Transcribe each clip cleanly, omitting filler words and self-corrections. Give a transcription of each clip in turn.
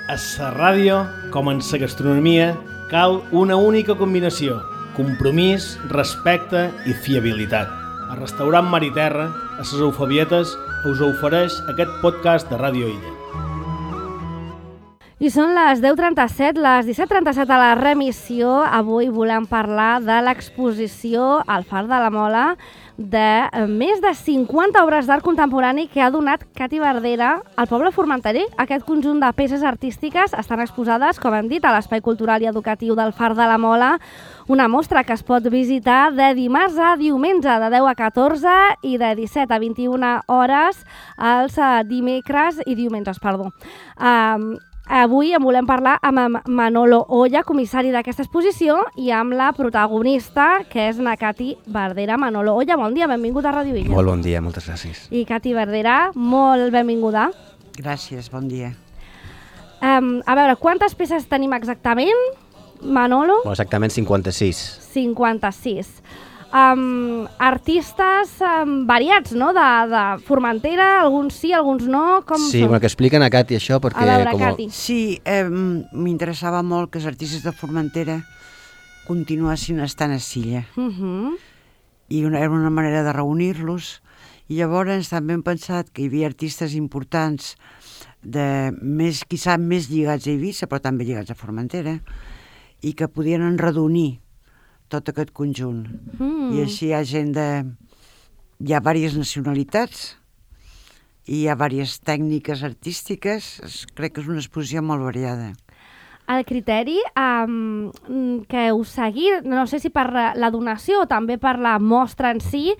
A la ràdio, com en la gastronomia, cal una única combinació: compromís, respecte i fiabilitat. El restaurant Mar i Terra, a les Eufebietes, us ofereix aquest podcast de Ràdio Illa. I són les 10:37, les 17:37 a la remissió. Avui volem parlar de l'exposició al Far de la Mola de més de 50 obres d'art contemporani que ha donat Cati Verdera al poble formenterer. Aquest conjunt de peces artístiques estan exposades, com hem dit, a l'Espai Cultural i Educatiu del Far de la Mola, una mostra que es pot visitar de dimarts a diumenge, de 10 a 14 i de 17 a 21 hores els dimecres i diumenges, perdó. Avui en volem parlar amb Manolo Oya, comissari d'aquesta exposició, i amb la protagonista, que és na Cati Verdera. Manolo Oya, bon dia, benvingut a Ràdio Illa. Molt bon dia, moltes gràcies. I Cati Verdera, molt benvinguda. Gràcies, bon dia. A veure, quantes peces tenim exactament, Manolo? Exactament 56. 56. Artistes variats, no?, de Formentera, alguns sí, alguns no, com sí, són? Bueno, que expliquen a Cati això, perquè... A veure, Cati. Sí, m'interessava molt que els artistes de Formentera continuessin estant a Silla. I era una manera de reunir-los. I llavors també hem pensat que hi havia artistes importants, quizà més lligats a Eivissa, però també lligats a Formentera, i que podien enredonir tot aquest conjunt. I així hi ha gent hi ha diverses nacionalitats i hi ha diverses tècniques artístiques. Crec que és una exposició molt variada. El criteri que heu seguit, no sé si per la donació o també per la mostra en si,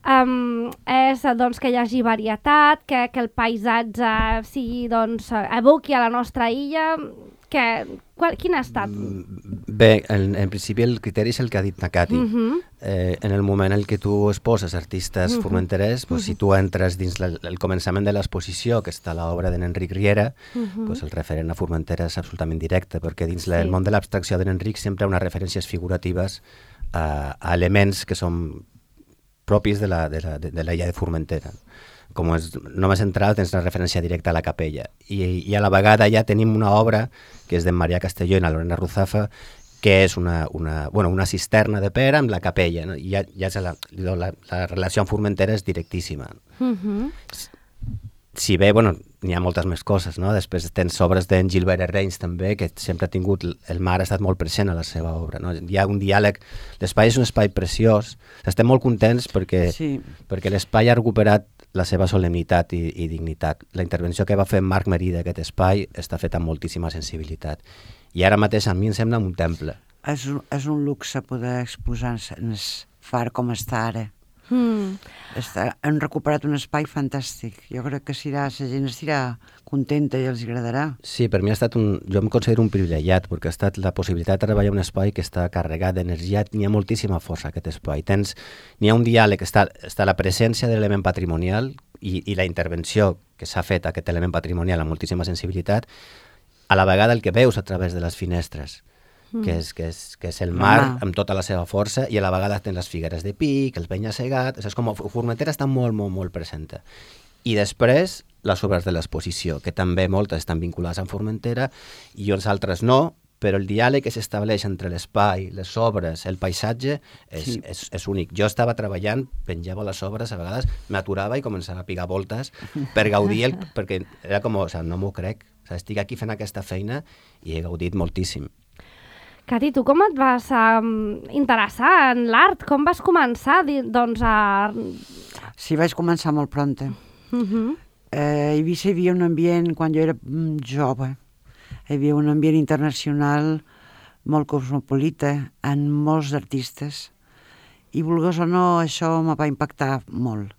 és doncs, que hi hagi varietat, que el paisatge sigui, doncs, evoqui a la nostra illa. Quin ha estat? Bé, en principi el criteri és el que ha dit na Cati. En el moment en què tu exposes artistes formenterers, si tu entres dins el començament de l'exposició, que està l'obra d'en Enric Riera, el referent a Formentera és absolutament directe, perquè dins el món de l'abstracció d'en Enric sempre hi ha unes referències figuratives a elements que són propis de l'illa de Formentera. Com és només central, tens una referència directa a la capella. I a la vegada ja tenim una obra que és d'en Marià Castelló i na Lorena Ruzafa, que és una cisterna de pedra amb la capella. No? I ja la relació amb Formentera és directíssima. Si bé, n'hi ha moltes més coses, no? Després tens obres d'en Gilbert Herreins també, que sempre ha tingut, el mar ha estat molt present a la seva obra, no? Hi ha un diàleg, l'espai és un espai preciós, estem molt contents perquè l'espai ha recuperat la seva solemnitat i dignitat. La intervenció que va fer Marc Marí d'aquest espai està feta amb moltíssima sensibilitat. I ara mateix a mi em sembla un temple. És un luxe poder exposar en el far com està ara. Han recuperat un espai fantàstic. Jo crec que la gent estirà contenta i els agradarà. Sí, per mi ha estat jo em considero un privilegiat, perquè ha estat la possibilitat de treballar un espai que està carregat d'energia. N'hi ha moltíssima força aquest espai. N'hi ha un diàleg, està la presència de l'element patrimonial i la intervenció que s'ha fet a aquest element patrimonial amb moltíssima sensibilitat, a la vegada el que veus a través de les finestres, que és el mar amb tota la seva força, i a la vegada tens les figueres de pic, els penya-segat, és com Formentera està molt, molt, molt present. I després les obres de l'exposició, que també moltes estan vinculades amb Formentera i uns altres no, però el diàleg que s'estableix entre l'espai, les obres, el paisatge és únic. Jo estava treballant, penjava les obres, a vegades m'aturava i començava a picar voltes per gaudir, perquè era com, no m'ho crec, estic aquí fent aquesta feina i he gaudit moltíssim. Cati, tu com et vas interessar en l'art? Com vas començar, Sí, vaig començar molt prompte. A Eivissa hi havia un ambient, quan jo era jove, hi havia un ambient internacional molt cosmopolita, amb molts artistes, i volgués o no, això me va impactar molt.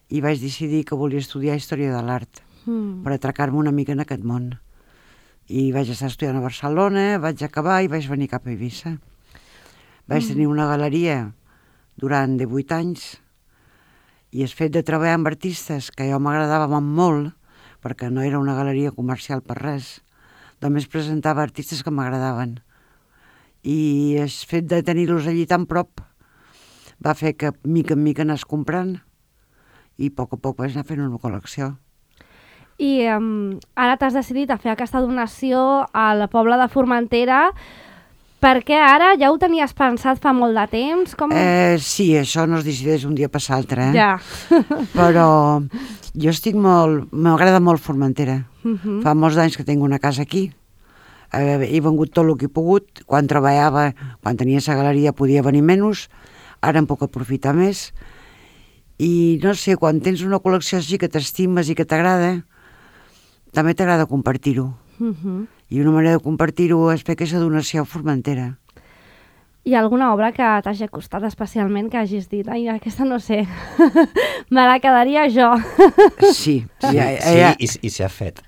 I vaig decidir que volia estudiar Història de l'Art, per atracar-me una mica en aquest món. I vaig estar estudiant a Barcelona, vaig acabar i vaig venir cap a Eivissa. Vaig tenir una galeria durant 18 anys, i el fet de treballar amb artistes que jo m'agradava molt, perquè no era una galeria comercial per res, només presentava artistes que m'agradaven. I el fet de tenir-los allí tan prop va fer que mica en mica anés comprant, i a poc vaig anar fent una col·lecció. I ara t'has decidit a fer aquesta donació al poble de Formentera. Per què ara? Ja ho tenies pensat fa molt de temps? Sí, això no es decideix un dia per l'altre, Ja. Però jo estic m'agrada molt Formentera. Fa molts anys que tinc una casa aquí. He vengut tot el que he pogut. Quan treballava, quan tenia la galeria, podia venir menys. Ara em puc aprofitar més. I no sé, quan tens una col·lecció així que t'estimes i que t'agrada, també t'agrada compartir-ho. I una manera de compartir-ho és fer aquesta donació a Formentera. Hi ha alguna obra que t'hagi costat especialment, que hagis dit, ai, aquesta no sé, me la quedaria jo? Sí. I s'ha fet.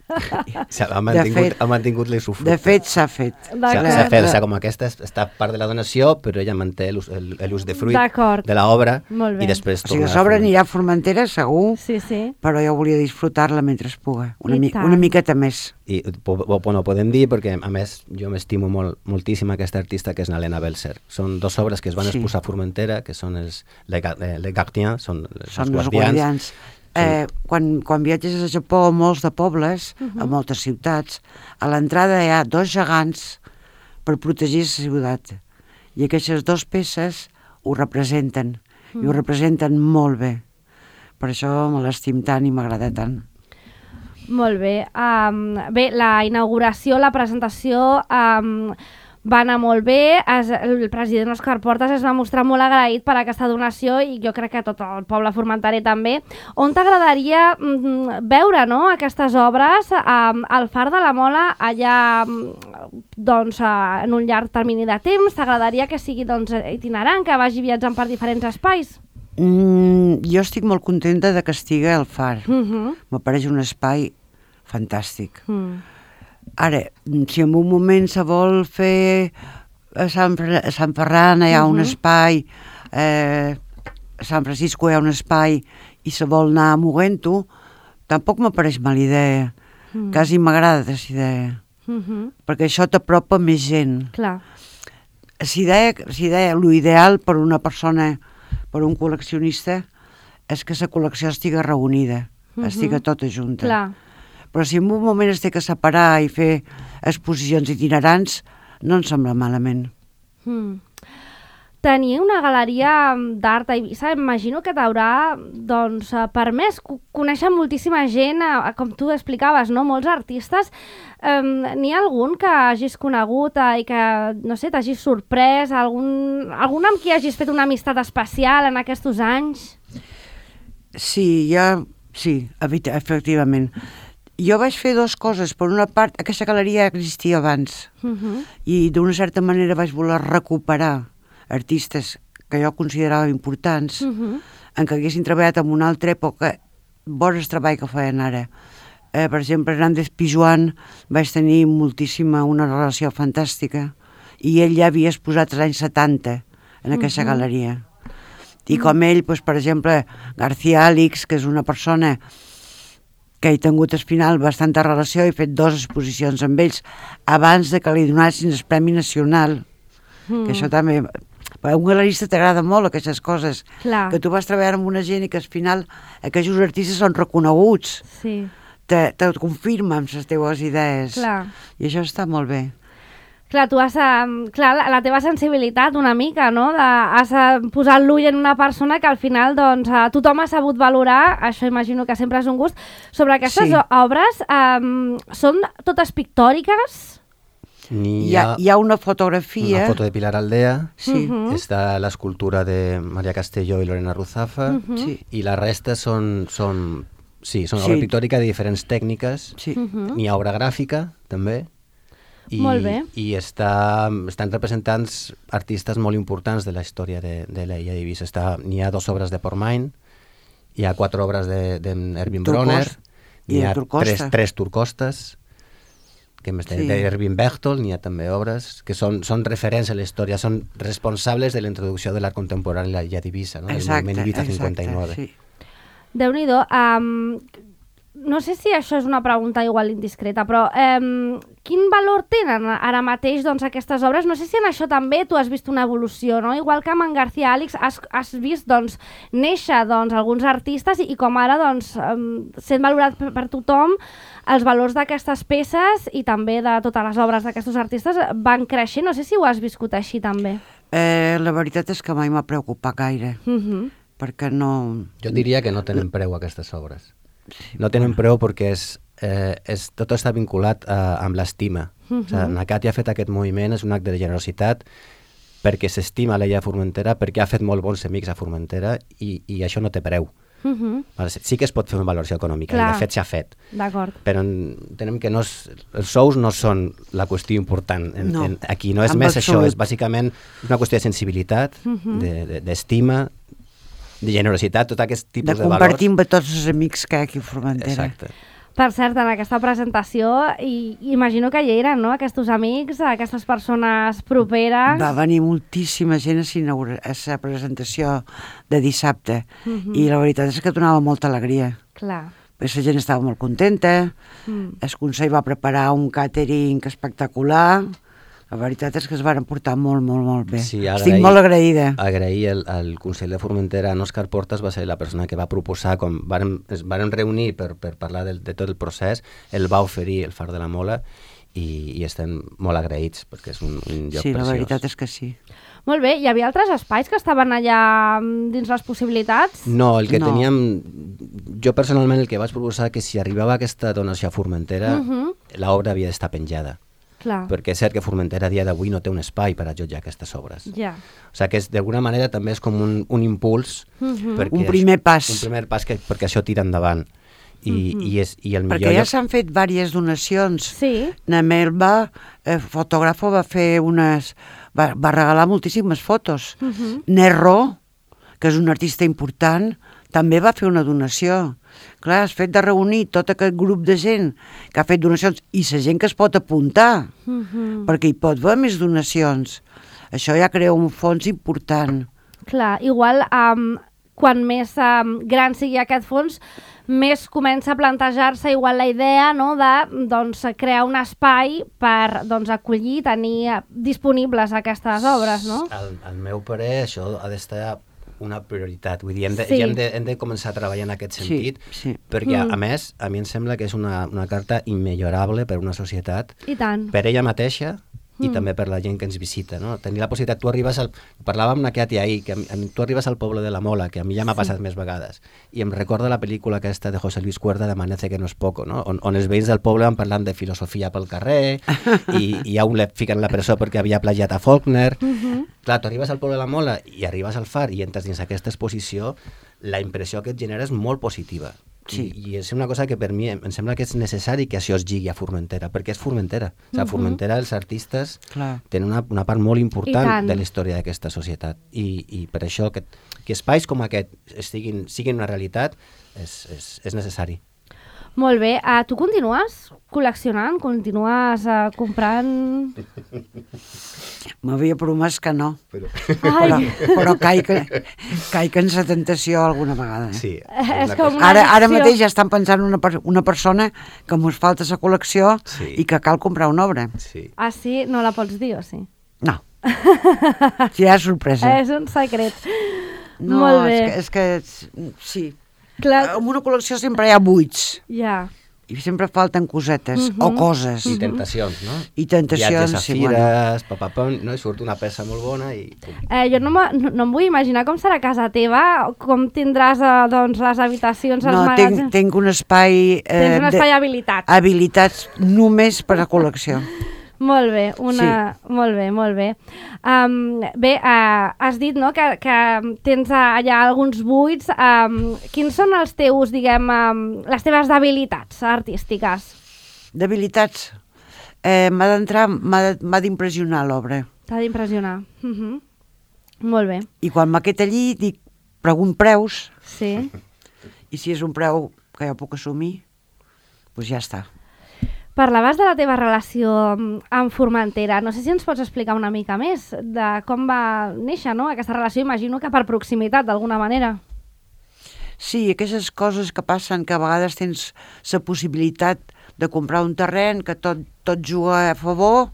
Ha mantingut l'usufructe. De fet, s'ha fet. S'ha fet, com aquesta està part de la donació, però ella manté l'usdefruit de l'obra i després torna. O sigui, l'obra anirà a Formentera, segur, sí. Però jo volia disfrutar-la mentre es puga, una miqueta més. I ho podem dir perquè, a més, jo m'estimo moltíssim aquesta artista que és Nalena Belser. Són dues obres que es van exposar a Formentera, que són els Les Gardiens, són els guardians. Quan viatges a Japó a molts de pobles, a moltes ciutats, a l'entrada hi ha dos gegants per protegir la ciutat. I aquestes dues peces ho representen, i ho representen molt bé. Per això me l'estim tant i m'agrada tant. Molt bé. Bé, la inauguració, la presentació va anar molt bé. El president Òscar Portas es va mostrar molt agraït per aquesta donació i jo crec que tot el poble formenterer també. On t'agradaria veure, no, aquestes obres al Far de la Mola allà doncs, en un llarg termini de temps? T'agradaria que sigui itinerant, que vagi viatjant per diferents espais? Jo estic molt contenta de que estigui al Far. M'apareix un espai fantàstic. Ara, si en un moment se vol fer a Sant Ferran hi ha un espai, a Sant Francisco hi ha un espai i se vol anar movent-ho, tampoc m'apareix mala idea. Quasi m'agrada aquesta idea. Perquè això t'apropa més gent. Clar. L'ideal per una persona, per un col·leccionista, és que la col·lecció estigui reunida, estigui tota junta. Clar. Però si en un moment es té que separar i fer exposicions itinerants, no em sembla malament. Tenir una galeria d'art a Eivissa, imagino que t'haurà permès conèixer moltíssima gent, com tu explicaves, no? Molts artistes. N'hi ha algun que hagis conegut i que, no sé, t'hagis sorprès? Algun amb qui hagis fet una amistat especial en aquests anys? Sí, efectivament. Jo vaig fer dues coses. Per una part, aquesta galeria existia abans i d'una certa manera vaig voler recuperar artistes que jo considerava importants en què haguessin treballat en una altra època, bons treball que feien ara. Per exemple, Hernández Pijuan vaig tenir una relació fantàstica i ell ja havia exposat als anys 70 en aquesta galeria. I com ell, per exemple, García Alix, que és una persona que he tingut al final bastanta relació, he fet 2 exposicions amb ells abans de que li donessin el Premi Nacional, que això també... A un galerista t'agrada molt aquestes coses, que tu vas treballar amb una gent i que al final aquests artistes són reconeguts, te confirmen les teves idees, i això està molt bé. Clar, tu has... la teva sensibilitat una mica, no? Has posat l'ull en una persona que al final tothom ha sabut valorar, això imagino que sempre és un gust. Sobre aquestes obres, són totes pictòriques? Hi ha una fotografia... Una foto de Pilar Aldea, està l'escultura de Maria Castelló i Lorena Ruzafa, i la resta són obra pictòrica de diferents tècniques, n'hi ha obra gràfica, també, i estan representants artistes molt importants de la història de l'illa d'Eivissa. N'hi ha 2 obres de Portmany, hi ha 4 obres d'Erwin Bronner, n'hi ha 3 turcostes, d'Erwin Bechtold, n'hi ha també obres que són referents a la història, són responsables de la introducció de l'art contemporani a l'illa d'Eivissa, del moviment Eivissa 59. Déu-n'hi-do. no sé si això és una pregunta igual indiscreta, però quin valor tenen ara mateix doncs, aquestes obres? No sé si en això també tu has vist una evolució, no? Igual que amb en García Àlix has vist doncs, néixer doncs, alguns artistes i com ara doncs, sent valorat per tothom, els valors d'aquestes peces i també de totes les obres d'aquests artistes van creixent. No sé si ho has viscut així també. La veritat és que mai m'ha preocupat gaire, perquè no... Jo diria que no tenen preu aquestes obres. No tenen preu perquè tot està vinculat amb l'estima. O sigui, Nakati ha fet aquest moviment, és un acte de generositat perquè s'estima l'illa de Formentera, perquè ha fet molt bons amics a Formentera i això no té preu. Sí que es pot fer una valoració econòmica, i de fet s'ha fet. D'acord. Però entenem que els sous no són la qüestió important. Aquí no és més això, és bàsicament una qüestió de sensibilitat, d'estima, de generositat, tot aquest tipus de valors. De compartir amb tots els amics que hi ha aquí a Formentera. Exacte. Per cert, en aquesta presentació, imagino que hi eren, no?, aquests amics, aquestes persones properes. Va venir moltíssima gent a la presentació de dissabte i la veritat és que donava molta alegria. Clar. La gent estava molt contenta, el Consell va preparar un càtering espectacular. La veritat és que es van portar molt, molt, molt bé. Sí, estic molt agraïda. Agrair al Consell de Formentera, en Òscar Portas va ser la persona que va proposar, com es van reunir per parlar de tot el procés, el va oferir el Far de la Mola i estem molt agraïts perquè és un lloc preciós. Sí, la veritat és que sí. Molt bé, hi havia altres espais que estaven allà dins les possibilitats? No, el que teníem... Jo personalment el que vaig proposar que si arribava aquesta donació a Formentera, l'obra havia d'estar penjada. Clar. Perquè és cert que Formentera a dia d'avui no té un espai per a jutjar aquestes obres. Ja. O sigui que d'alguna manera també és com un impuls, un primer pas. Un primer pas perquè això tira endavant. I el millor perquè ja s'han fet diverses donacions. Sí. Namelba, fotògrafo, va fer va regalar moltíssimes fotos. Nerro, que és un artista important, també va fer una donació. Clar, has fet de reunir tot aquest grup de gent que ha fet donacions i la gent que es pot apuntar, perquè hi pot haver més donacions. Això ja crea un fons important. Clar, igual quan més gran sigui aquest fons, més comença a plantejar-se igual la idea, no, de doncs, crear un espai per acollir, tenir disponibles aquestes obres, no? Al meu parer, això ha d'estar una prioritat, vull dir, hem de començar a treballar en aquest sentit, perquè a més, a mi em sembla que és una carta immillorable per a una societat, per ella mateixa i també per la gent que ens visita, no? Tenir la possibilitat, tu arribes parlàvem amb aquest ahir, que tu arribes al poble de la Mola, que a mi ja m'ha passat més vegades, i em recorda la pel·lícula aquesta de José Luis Cuerda, de Amanece que no es poco, no? On els veïns del poble van parlant de filosofia pel carrer, i a un le fiquen a la presó perquè havia plagiat a Faulkner. Clar, tu arribes al poble de la Mola i arribes al Far i entres dins aquesta exposició, la impressió que et genera és molt positiva. I és una cosa que per mi em sembla que és necessari que això es lligui a Formentera, perquè és Formentera. O sigui, a Formentera els artistes tenen una part molt important de la història d'aquesta societat. I per això que espais com aquest siguin una realitat és necessari. Molt bé. Tu continues col·leccionant? Continues comprant? M'havia promès que no. Però caic en la tentació alguna vegada. Sí. Ara mateix ja estan pensant una persona que mos falta la col·lecció i que cal comprar una obra. Ah, sí? No la pots dir o sí? No. Sí, és sorpresa. És un secret. No, molt bé. És que sí. Clar. En una col·lecció sempre hi ha buits. Ja. I sempre falten cosetes o coses. I tentacions, no? I tentacions, viatges a fires, no? I surt una peça molt bona i... Jo no em vull imaginar com serà casa teva, com tindràs les habitacions, els magatzems... No, tinc un espai... Tens un espai habilitat. Habilitats només per a col·lecció. Molt bé, molt bé, molt bé. Bé, has dit, no, que tens allà alguns buits. Quins són els teus, diguem, les teves debilitats artístiques? Debilitats? M'ha d'impressionar l'obra. T'ha d'impressionar. Molt bé. I quan m'aquest allí, dic, pregunt preus. Sí. I si és un preu que jo puc assumir, doncs ja està. Parlaves de la teva relació amb Formentera. No sé si ens pots explicar una mica més de com va néixer, no, aquesta relació. Imagino que per proximitat, d'alguna manera. Sí, aquestes coses que passen, que a vegades tens la possibilitat de comprar un terreny, que tot juga a favor,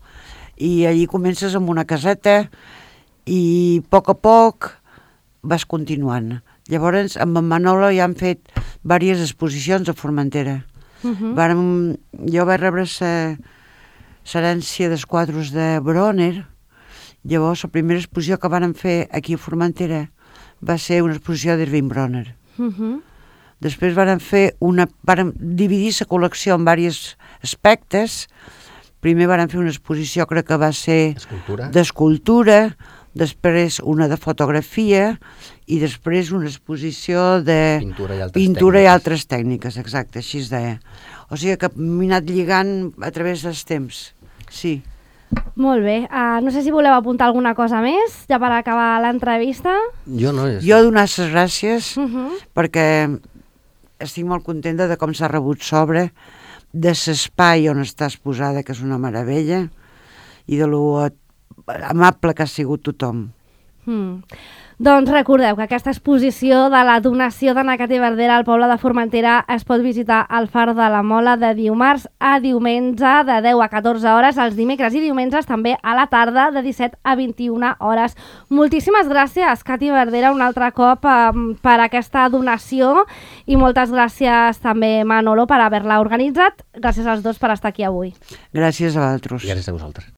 i allí comences amb una caseta i a poc vas continuant. Llavors, amb en Manolo ja han fet diverses exposicions a Formentera. Jo vaig rebre l'herència dels quadros de Bronner. Llavors, la primera exposició que van fer aquí a Formentera va ser una exposició d'Irving Bronner. Després van dividir la col·lecció en diversos aspectes. Primer van fer una exposició, crec que va ser d'escultura, després una de fotografia i després una exposició de pintura i altres tècniques, exacte, així es deia. O sigui que m'he anat lligant a través dels temps, sí. Molt bé. No sé si voleu apuntar alguna cosa més, ja per acabar l'entrevista. Jo no. Jo donar les gràcies perquè estic molt contenta de com s'ha rebut sobre, de l'espai on està exposada, que és una meravella, i de lo amable que ha sigut tothom. Doncs recordeu que aquesta exposició de la donació de Nacat i Verdera al poble de Formentera es pot visitar al Far de la Mola de dimarts a diumenge de 10 a 14 hores, els dimecres i diumenges també a la tarda de 17 a 21 hores. Moltíssimes gràcies, Cati Verdera, un altre cop per aquesta donació i moltes gràcies també, Manolo, per haver-la organitzat. Gràcies als dos per estar aquí avui. Gràcies a vosaltres. Gràcies a vosaltres.